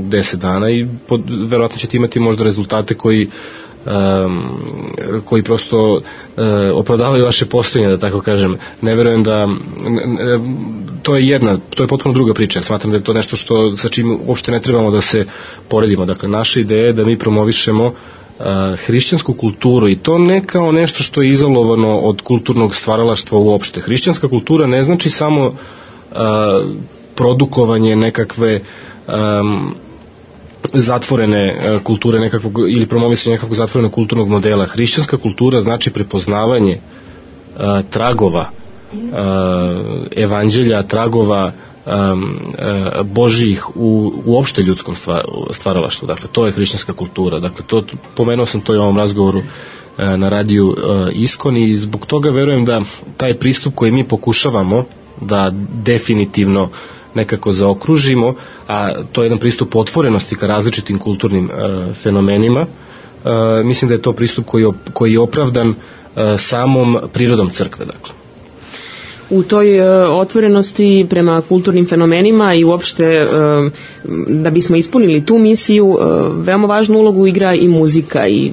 deset dana i pod, verovatno ćete imati možda rezultate koji um, koji prosto uh, opravdavaju vaše postojanje, da tako kažem. Ne verujem da ne, to je jedna, to je potpuno druga priča. Smatram da je to nešto što sa čim uopšte ne trebamo da se poredimo. Dakle, naša ideja je da mi promovišemo hrišćansku kulturu i to ne kao nešto što je izolovano od kulturnog stvaralaštva uopšte. Hrišćanska kultura ne znači samo uh, produkovanje nekakve um, zatvorene uh, kulture nekakvog, ili promovisanje nekakvog zatvorenog kulturnog modela. Hrišćanska kultura znači prepoznavanje uh, tragova uh, evanđelja, tragova Um, uh, Božijih u uopšte ljudskom stvaralaštvu. Dakle, to je hrišćanska kultura. Dakle, to, pomenuo sam to i u ovom razgovoru uh, na radiju uh, Iskon i zbog toga verujem da taj pristup koji mi pokušavamo da definitivno nekako zaokružimo, a to je jedan pristup otvorenosti ka različitim kulturnim uh, fenomenima, uh, mislim da je to pristup koji, op, koji je opravdan uh, samom prirodom crkve. Dakle, u toj uh, otvorenosti prema kulturnim fenomenima i uopšte uh, da bismo ispunili tu misiju, uh, veoma važnu ulogu igra i muzika i,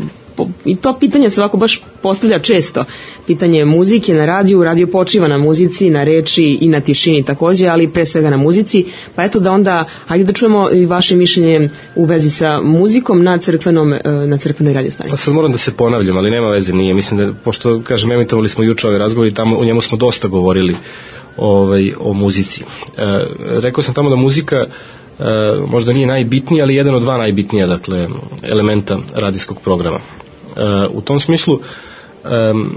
i to pitanje se ovako baš postavlja često. Pitanje muzike na radiju, radio počiva na muzici, na reči i na tišini takođe, ali pre svega na muzici, pa eto da onda, hajde da čujemo i vaše mišljenje u vezi sa muzikom na crkvenom, na crkvenoj radiostanici. Pa sad moram da se ponavljam, ali nema veze, nije, mislim da, pošto, kažem, emitovali smo juče ovaj razgovor i tamo u njemu smo dosta govorili ovaj, o muzici. E, rekao sam tamo da muzika e, možda nije najbitnija, ali jedan od dva najbitnija, dakle, elementa radijskog programa. E, u tom smislu Um,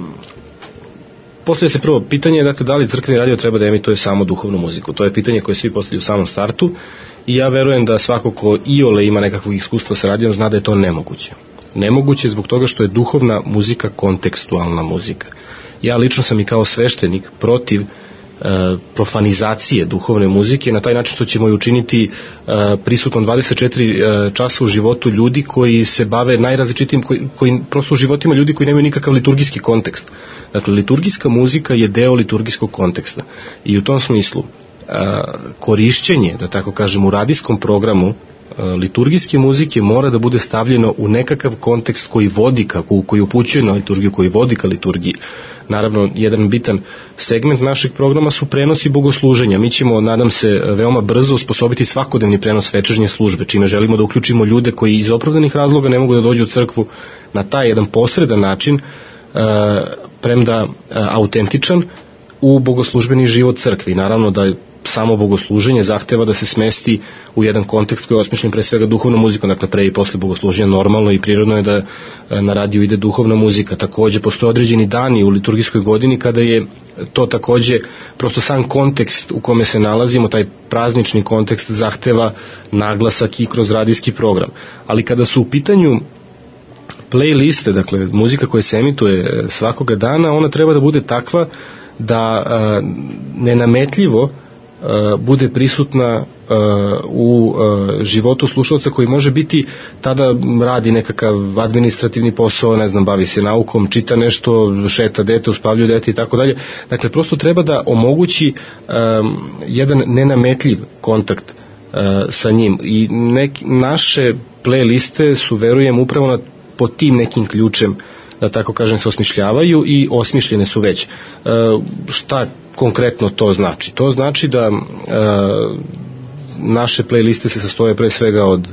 postavlja se prvo pitanje, dakle, da li crkveni radio treba da emituje samo duhovnu muziku. To je pitanje koje svi postavljaju u samom startu i ja verujem da svako ko iole ima nekakvog iskustva sa radijom zna da je to nemoguće. Nemoguće zbog toga što je duhovna muzika kontekstualna muzika. Ja lično sam i kao sveštenik protiv profanizacije duhovne muzike, na taj način što ćemo je učiniti prisutnom dvadeset četiri časa u životu ljudi koji se bave najrazličitijim, koji, koji prosto u životima ljudi koji nemaju nikakav liturgijski kontekst. Dakle, liturgijska muzika je deo liturgijskog konteksta i u tom smislu korišćenje, da tako kažem, u radijskom programu liturgijske muzike mora da bude stavljeno u nekakav kontekst koji vodi ka, koji upućuje na liturgiju, koji vodi ka liturgiji. Naravno, jedan bitan segment našeg programa su prenosi bogosluženja. Mi ćemo, nadam se, veoma brzo usposobiti svakodnevni prenos večernje službe, čime želimo da uključimo ljude koji iz opravdanih razloga ne mogu da dođu u crkvu na taj jedan posredan način, premda autentičan, u bogoslužbeni život crkve. I naravno da samo bogosluženje zahteva da se smesti u jedan kontekst koji je osmišljen pre svega duhovnom muzikom, dakle pre i posle bogosluženja normalno i prirodno je da na radiju ide duhovna muzika. Takođe postoje određeni dani u liturgijskoj godini kada je to takođe prosto sam kontekst u kome se nalazimo, taj praznični kontekst zahteva naglasak i kroz radijski program. Ali kada su u pitanju playliste, dakle muzika koja se emituje svakoga dana, ona treba da bude takva da a, nenametljivo a, bude prisutna a, u a, životu slušalca koji može biti, tada radi nekakav administrativni posao, ne znam, bavi se naukom, čita nešto, šeta dete, uspavljuje dete i tako dalje. Dakle, prosto treba da omogući a, jedan nenametljiv kontakt a, sa njim i nek, naše playliste su, verujem, upravo na, po tim nekim ključem, da tako kažem, se osmišljavaju i osmišljene su već. E, šta konkretno to znači? To znači da e, naše playliste se sastoje pre svega od e,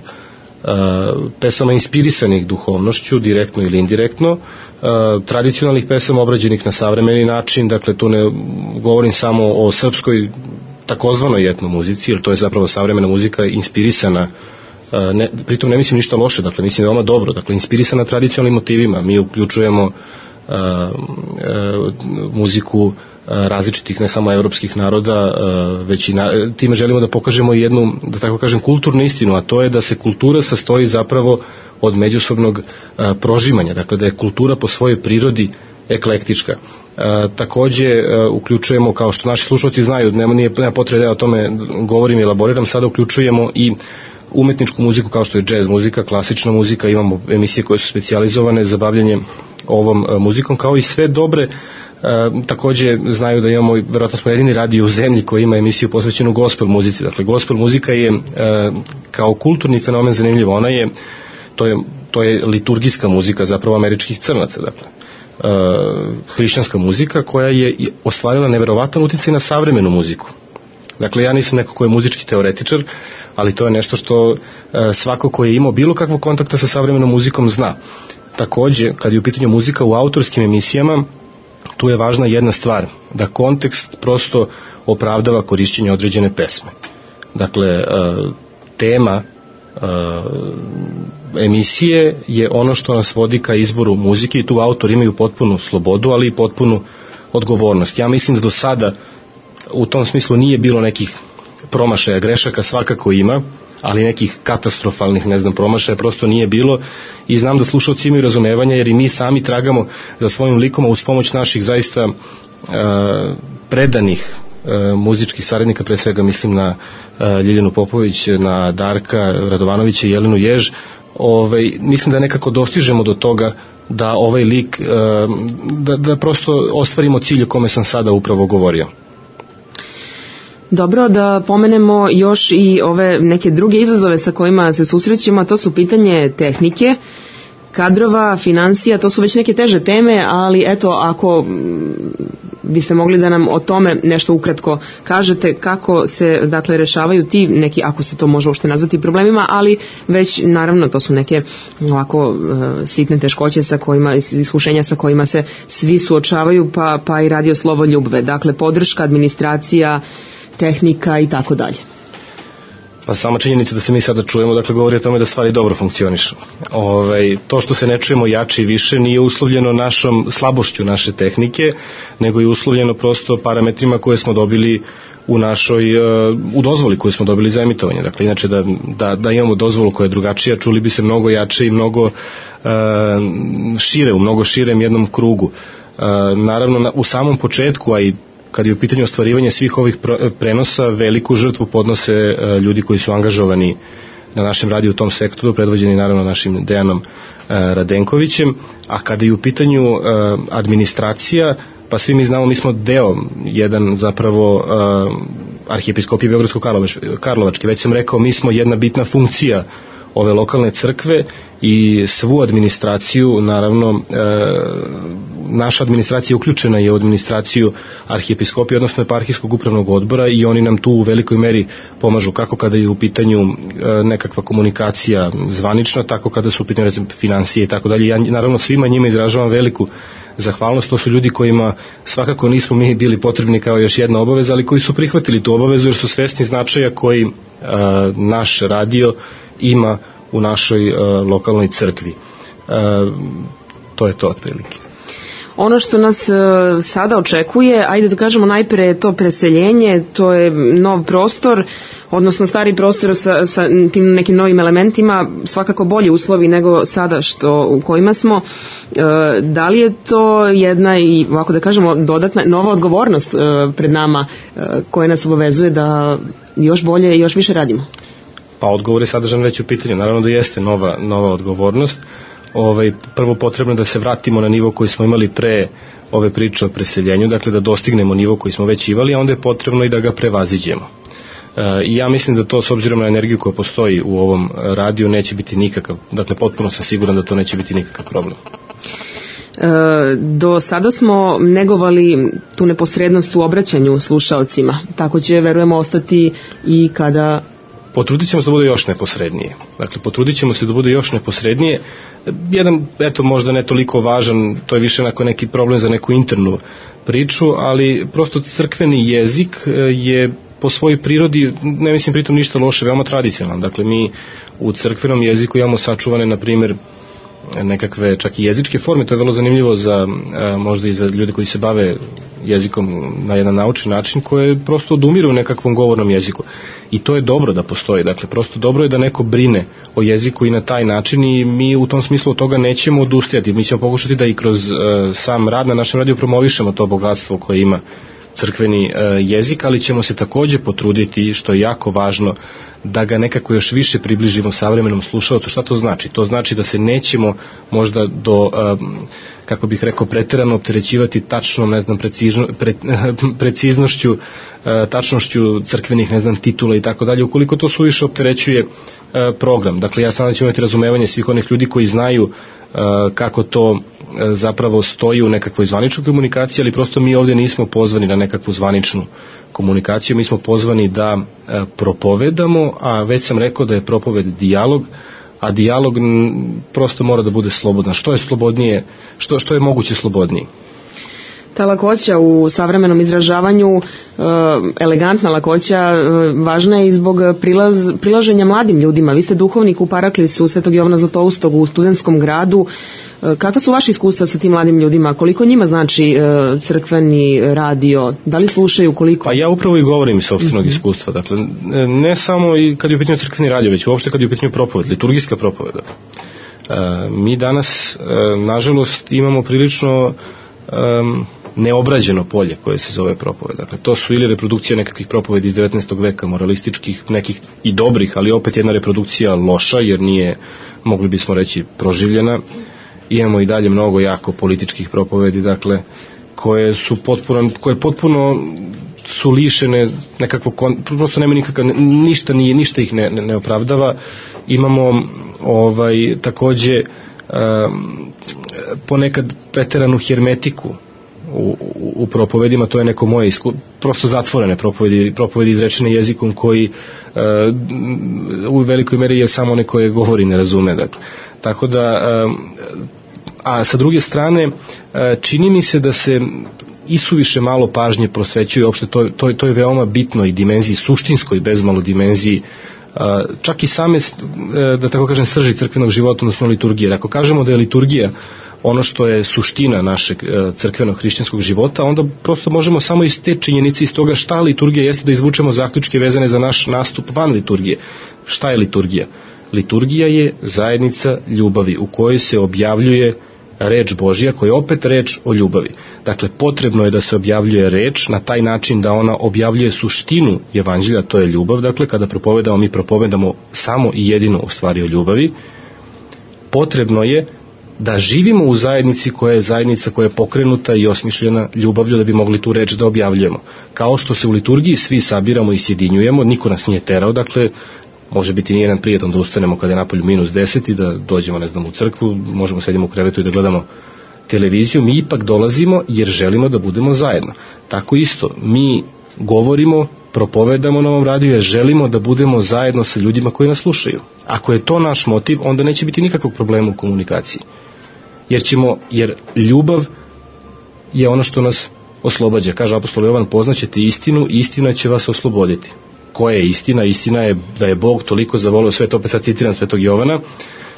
pesama inspirisanih duhovnošću, direktno ili indirektno, e, tradicionalnih pesama obrađenih na savremeni način, dakle tu ne govorim samo o srpskoj takozvanoj etno muzici, jer to je zapravo savremena muzika inspirisana. Ne, pritom ne mislim ništa loše, dakle mislim veoma dobro, dakle inspirisana tradicionalnim motivima. Mi uključujemo uh, uh, muziku uh, različitih, ne samo evropskih naroda, uh, već i na, time želimo da pokažemo jednu, da tako kažem, kulturnu istinu, a to je da se kultura sastoji zapravo od međusobnog uh, prožimanja, dakle da je kultura po svojoj prirodi eklektička. Uh, takođe uh, uključujemo, kao što naši slušalci znaju, nema, nije, nema potrebe da ja o tome govorim i elaboriram, sada uključujemo i umetničku muziku kao što je džez muzika, klasična muzika, imamo emisije koje su specijalizovane za bavljanje ovom muzikom, kao i sve dobre. E, takođe znaju da imamo, verovatno smo jedini radio u zemlji koji ima emisiju posvećenu gospel muzici. Dakle, gospel muzika je e, kao kulturni fenomen zanimljiva. Ona je, to je, to je liturgijska muzika zapravo američkih crnaca, dakle. E, hrišćanska muzika koja je ostvarila neverovatan uticaj na savremenu muziku. Dakle, ja nisam neko ko je muzički teoretičar, ali to je nešto što e, svako ko je imao bilo kakvog kontakta sa savremenom muzikom zna. Takođe, kad je u pitanju muzika u autorskim emisijama, tu je važna jedna stvar, da kontekst prosto opravdava korišćenje određene pesme. Dakle, e, tema e, emisije je ono što nas vodi ka izboru muzike i tu autori imaju potpunu slobodu, ali i potpunu odgovornost. Ja mislim da do sada u tom smislu nije bilo nekih promašaja, grešaka svakako ima, ali nekih katastrofalnih, ne znam, promašaja prosto nije bilo i znam da slušalci imaju razumevanja jer i mi sami tragamo za svojim likom, a uz pomoć naših zaista e, predanih e, muzičkih saradnika, pre svega mislim na e, Ljiljanu Popović, na Darka Radovanovića i Jelenu Jež, ovaj, mislim da nekako dostižemo do toga da ovaj lik, e, da, da prosto ostvarimo cilj o kome sam sada upravo govorio. Dobro, da pomenemo još i ove neke druge izazove sa kojima se susrećemo, a to su pitanje tehnike, kadrova, financija, to su već neke teže teme, ali eto, ako biste mogli da nam o tome nešto ukratko kažete, kako se, dakle, rešavaju ti neki, ako se to može uopšte nazvati problemima, ali već, naravno, to su neke ovako sitne teškoće sa kojima, iskušenja sa kojima se svi suočavaju, pa, pa i radio Slovo Ljubve, dakle, podrška, administracija, tehnika i tako dalje. Pa sama činjenica da se mi sada čujemo, dakle, govori o tome da stvari dobro funkcionišu. Ove, to što se ne čujemo jače i više nije uslovljeno našom slabošću naše tehnike, nego je uslovljeno prosto parametrima koje smo dobili u našoj, u dozvoli koju smo dobili za emitovanje. Dakle, inače da, da, da imamo dozvolu koja je drugačija, čuli bi se mnogo jače i mnogo uh, šire, u mnogo širem jednom krugu. Uh, naravno, na, u samom početku, a i kad je u pitanju ostvarivanje svih ovih prenosa, veliku žrtvu podnose ljudi koji su angažovani na našem radiju u tom sektoru, predvođeni naravno našim Dejanom Radenkovićem, a kada je u pitanju administracija, pa svi mi znamo, mi smo deo jedan zapravo Arhijepiskopije Beogradsko-Karlovačke, već sam rekao, mi smo jedna bitna funkcija ove lokalne crkve i svu administraciju, naravno, e, naša administracija uključena je u administraciju Arhijepiskopije, odnosno Eparhijskog upravnog odbora, i oni nam tu u velikoj meri pomažu, kako kada je u pitanju e, nekakva komunikacija zvanična, tako kada su u pitanju, recimo, financije i tako dalje. Ja naravno svima njima izražavam veliku zahvalnost. To su ljudi kojima svakako nismo mi bili potrebni kao još jedna obaveza, ali koji su prihvatili tu obavezu jer su svesni značaja koji e, naš radio ima u našoj uh, lokalnoj crkvi. Uh, to je to otprilike. Ono što nas uh, sada očekuje, ajde da kažemo najpre je to preseljenje, to je nov prostor, odnosno stari prostor sa, sa tim nekim novim elementima, svakako bolji uslovi nego sada što u kojima smo. Uh, da li je to jedna i, ovako da kažemo, dodatna nova odgovornost uh, pred nama uh, koja nas obavezuje da još bolje i još više radimo? Pa odgovor je sadržan već u pitanju. Naravno da jeste nova, nova odgovornost. Ovaj, prvo potrebno da se vratimo na nivo koji smo imali pre ove priče o preseljenju, dakle da dostignemo nivo koji smo već imali, a onda je potrebno i da ga prevaziđemo. E, I ja mislim da to, s obzirom na energiju koja postoji u ovom radiju, neće biti nikakav, dakle potpuno sam siguran da to neće biti nikakav problem. E, do sada smo negovali tu neposrednost u obraćanju slušaocima, tako će, verujemo, ostati i kada... Potrudit ćemo se da bude još neposrednije. Dakle, potrudit ćemo se da bude još neposrednije. Jedan, eto, možda ne toliko važan, to je više onako neki problem za neku internu priču, ali prosto crkveni jezik je po svojoj prirodi, ne mislim pritom ništa loše, veoma tradicionalan. Dakle, mi u crkvenom jeziku imamo sačuvane, na primjer, nekakve čak i jezičke forme, to je vrlo zanimljivo za, možda i za ljude koji se bave jezikom na jedan naučni način, koje prosto odumiru u nekakvom govornom jeziku. I to je dobro da postoji, dakle prosto dobro je da neko brine o jeziku i na taj način, i mi u tom smislu od toga nećemo odustajati. Mi ćemo pokušati da i kroz uh, sam rad na našem radiju promovišemo to bogatstvo koje ima crkveni uh, jezik, ali ćemo se takođe potruditi, što je jako važno, da ga nekako još više približimo savremenom slušaocu. Šta to znači? To znači da se nećemo možda do, um, kako bih rekao, preterano opterećivati tačnom, ne znam, precizno, pre, preciznošću, uh, tačnošću crkvenih, ne znam, titula i tako dalje, ukoliko to suviše opterećuje uh, program. Dakle, ja sada ću imati razumevanje svih onih ljudi koji znaju uh, kako to uh, zapravo stoji u nekakvoj zvaničnoj komunikaciji, ali prosto mi ovdje nismo pozvani na nekakvu zvaničnu komunikaciju, mi smo pozvani da e, propovedamo, a već sam rekao da je propoved dijalog, a dijalog m, prosto mora da bude slobodan. Što je slobodnije, što, što je moguće slobodnije? Ta lakoća u savremenom izražavanju, e, elegantna lakoća, e, važna je i zbog prilaz, prilaženja mladim ljudima. Vi ste duhovnik u Paraklisu Svetog Jovana Zlatoustog u Studentskom gradu. Kakva su vaše iskustva sa tim mladim ljudima? Koliko njima znači e, crkveni radio? Da li slušaju, koliko? Pa ja upravo i govorim iz sopstvenog mm-hmm. iskustva. Dakle, ne samo i kad je u pitanju crkveni radio, već uopšte kad je u pitanju propoved, liturgijska propoved. E, mi danas, e, nažalost, imamo prilično e, neobrađeno polje koje se zove propoved. Dakle, to su ili reprodukcija nekakvih propovedi iz devetnaestog veka, moralističkih, nekih i dobrih, ali opet jedna reprodukcija loša, jer nije, mogli bismo reći, proživljena. Imamo i dalje mnogo jako političkih propovedi, dakle, koje su potpuno, koje potpuno su lišene nekakvog, prosto nema nikakav, ništa, nije, ništa ih ne, ne opravdava. Imamo ovaj, takođe um, ponekad preteranu hermetiku u, u, u propovedima, to je neko moje iskustvo, prosto zatvorene propovedi, propovedi izrečene jezikom koji uh, u velikoj meri je samo neko koje govori ne razume, dakle. Tako da, a sa druge strane, čini mi se da se isuviše malo pažnje prosvećuje, uopšte to, to, to je veoma bitno i dimenziji, suštinskoj bezmalo dimenziji, čak i same, da tako kažem, srži crkvenog života, odnosno liturgije. Ako kažemo da je liturgija ono što je suština našeg crkvenog hrišćanskog života, onda prosto možemo samo iz te činjenice, iz toga šta liturgija jeste, da izvučemo zaključke vezane za naš nastup van liturgije. Šta je liturgija? Liturgija je zajednica ljubavi u kojoj se objavljuje reč Božja koja je opet reč o ljubavi. Dakle, potrebno je da se objavljuje reč na taj način da ona objavljuje suštinu evanđelja, to je ljubav. Dakle, kada propovedamo, mi propovedamo samo i jedino u stvari o ljubavi. Potrebno je da živimo u zajednici koja je zajednica koja je pokrenuta i osmišljena ljubavlju da bi mogli tu reč da objavljujemo. Kao što se u liturgiji svi sabiramo i sjedinjujemo, niko nas nije terao, dakle, može biti nijedan prijetan da ustanemo kada je napolju minus deset i da dođemo, ne znam, u crkvu, možemo sedimo u krevetu i da gledamo televiziju, mi ipak dolazimo jer želimo da budemo zajedno. Tako isto, mi govorimo, propovedamo na ovom radiju jer želimo da budemo zajedno sa ljudima koji nas slušaju. Ako je to naš motiv, onda neće biti nikakvog problema u komunikaciji. Jer ćemo, jer ljubav je ono što nas oslobađa. Kaže apostol Jovan, poznaćete istinu, istina će vas osloboditi. Koja je istina? Istina je da je Bog toliko zavolio svet, opet sad citiram svetog Jovana,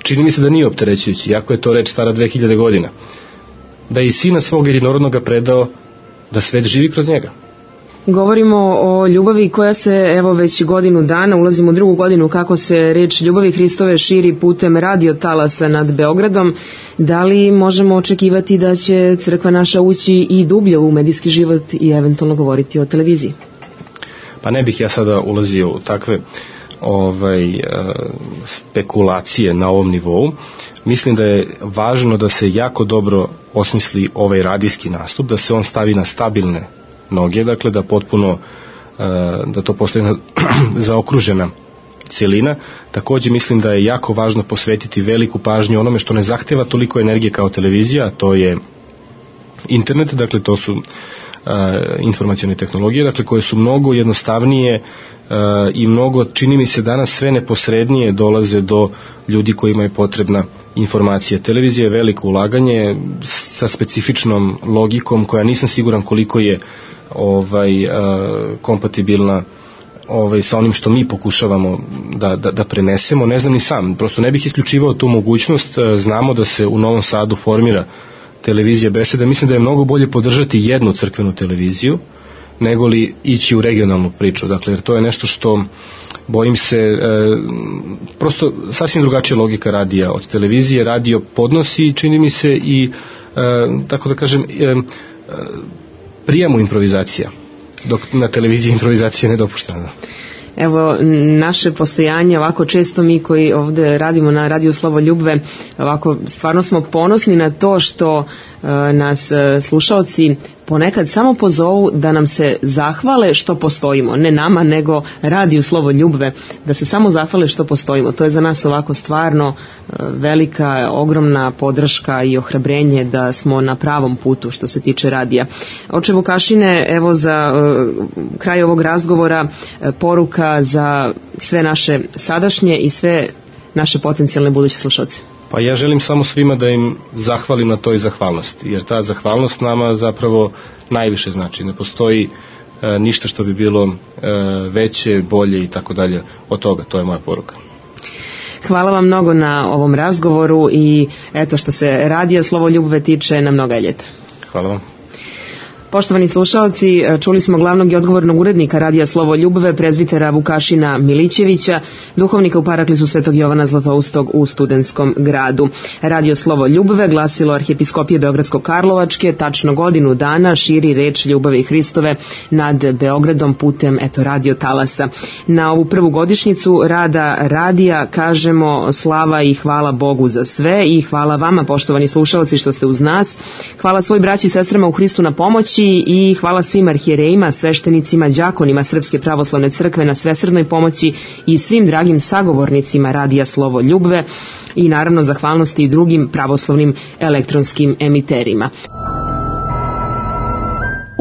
čini mi se da nije opterećujući, iako je to reč stara dve hiljade godina, da je i sina svog jedinorodnoga predao da svet živi kroz njega. Govorimo o ljubavi koja se evo već godinu dana, ulazimo u drugu godinu kako se reč ljubavi Hristove širi putem radio talasa nad Beogradom. Da li možemo očekivati da će crkva naša ući i dublje u medijski život i eventualno govoriti o televiziji? Pa ne bih ja sada ulazio u takve ovaj, spekulacije na ovom nivou. Mislim da je važno da se jako dobro osmisli ovaj radijski nastup, da se on stavi na stabilne noge, dakle da potpuno da to postane zaokružena cjelina. Također mislim da je jako važno posvetiti veliku pažnju onome što ne zahteva toliko energije kao televizija, a to je internet, dakle to su informacione tehnologije, dakle koje su mnogo jednostavnije i mnogo, čini mi se danas sve neposrednije dolaze do ljudi kojima je potrebna informacija. Televizija je veliko ulaganje sa specifičnom logikom koja nisam siguran koliko je ovaj kompatibilna ovaj sa onim što mi pokušavamo da, da, da prenesemo. Ne znam ni sam, prosto ne bih isključivao tu mogućnost. Znamo da se u Novom Sadu formira televizija Beseda. Mislim da je mnogo bolje podržati jednu crkvenu televiziju nego li ići u regionalnu priču, dakle, jer to je nešto što, bojim se, e, prosto sasvim drugačija logika radija od televizije. Radio podnosi, čini mi se, i e, tako da kažem, e, e, prijemu improvizacija, dok na televiziji improvizacija ne dopuštena. Evo, naše postojanje, ovako često mi koji ovdje radimo na radiju Slovo Ljubve, ovako stvarno smo ponosni na to što e, nas e, slušaoci ponekad samo pozovu da nam se zahvale što postojimo, ne nama nego radiju Slovo Ljubve, da se samo zahvale što postojimo. To je za nas ovako stvarno e, velika, ogromna podrška i ohrabrenje da smo na pravom putu što se tiče radija. Oče Vukašine, evo za e, kraj ovog razgovora e, poruka za sve naše sadašnje i sve naše potencijalne buduće slušalce. Pa ja želim samo svima da im zahvalim na toj zahvalnosti, jer ta zahvalnost nama zapravo najviše znači. Ne postoji e, ništa što bi bilo e, veće, bolje i tako dalje od toga. To je moja poruka. Hvala vam mnogo na ovom razgovoru i eto, što se radija Slovo Ljubve tiče, na mnoga ljeta. Hvala vam. Poštovani slušalci, čuli smo glavnog i odgovornog urednika radija Slovo Ljubve, prezbitera Vukašina Milićevića, duhovnika u Paraklisu Svetog Jovana Zlatoustog u Studentskom gradu. Radio Slovo Ljubve, glasilo Arhijepiskopije Beogradsko-Karlovačke, tačno godinu dana širi reč ljubavi Hristove nad Beogradom putem eto radio talasa. Na ovu prvu godišnjicu rada radija kažemo slava i hvala Bogu za sve i hvala vama, poštovani slušalci, što ste uz nas. Hvala svoj braći i sestrama u Hristu na pomoći i hvala svim arhijerejima, sveštenicima, đakonima Srpske pravoslavne crkve na svesrdnoj pomoći i svim dragim sagovornicima radija Slovo Ljubve i naravno zahvalnosti i drugim pravoslavnim elektronskim emiterima.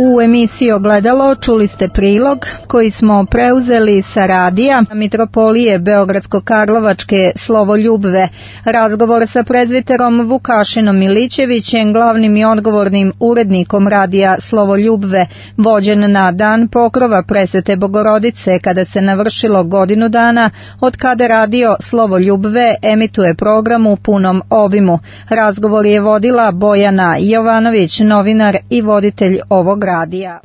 U emisiji Ogledalo čuli ste prilog koji smo preuzeli sa radija Mitropolije Beogradsko-Karlovačke Slovo Ljubve. Razgovor sa prezbiterom Vukašinom Milićevićem, glavnim i odgovornim urednikom radija Slovo Ljubve, vođen na dan pokrova Presvete Bogorodice, kada se navršilo godinu dana od kada radio Slovo Ljubve emituje program u punom obimu. Razgovor je vodila Bojana Jovanović, novinar i voditelj ovog radija.